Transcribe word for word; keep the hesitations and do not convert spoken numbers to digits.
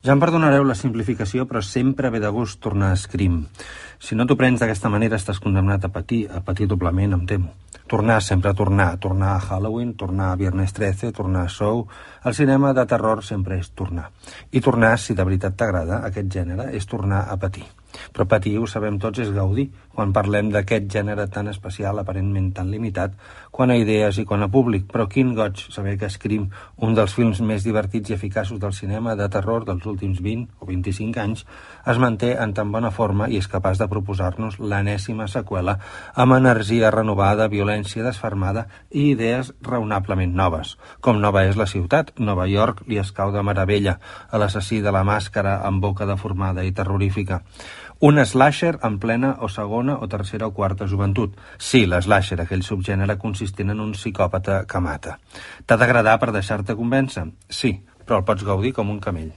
Ja em perdonareu la simplificació, però sempre ve de gust tornar a Scream. Si no t'ho prens d'aquesta manera, estàs condemnat a patir, a patir doblement, em temo. Tornar, sempre tornar. Tornar a Halloween, tornar a Viernes trece, tornar a Saw. El cinema de terror sempre és tornar. I tornar, si de veritat t'agrada aquest gènere, és tornar a patir. Però patir, ho sabem tots, és gaudir. Quan parlem d'aquest gènere tan especial, aparentment tan limitat, quan a idees i quan a públic. Però quin goig saber que Scream, un dels films més divertits i eficaços del cinema de terror dels últims vint o vint-i-cinc anys, es manté en tan bona forma i és capaç de proposar-nos l'enèsima seqüela amb energia renovada, violència desfermada i idees raonablement noves. Com nova és la ciutat, Nova York li escau de meravella a l'assassí de la màscara amb boca deformada i terrorífica. Un slasher en plena o segona o tercera o quarta joventut. Sí, l'slasher, aquell subgènere consistent en un psicòpata que mata. T'ha d'agradar per deixar-te convèncer? Sí, però el pots gaudir com un camell.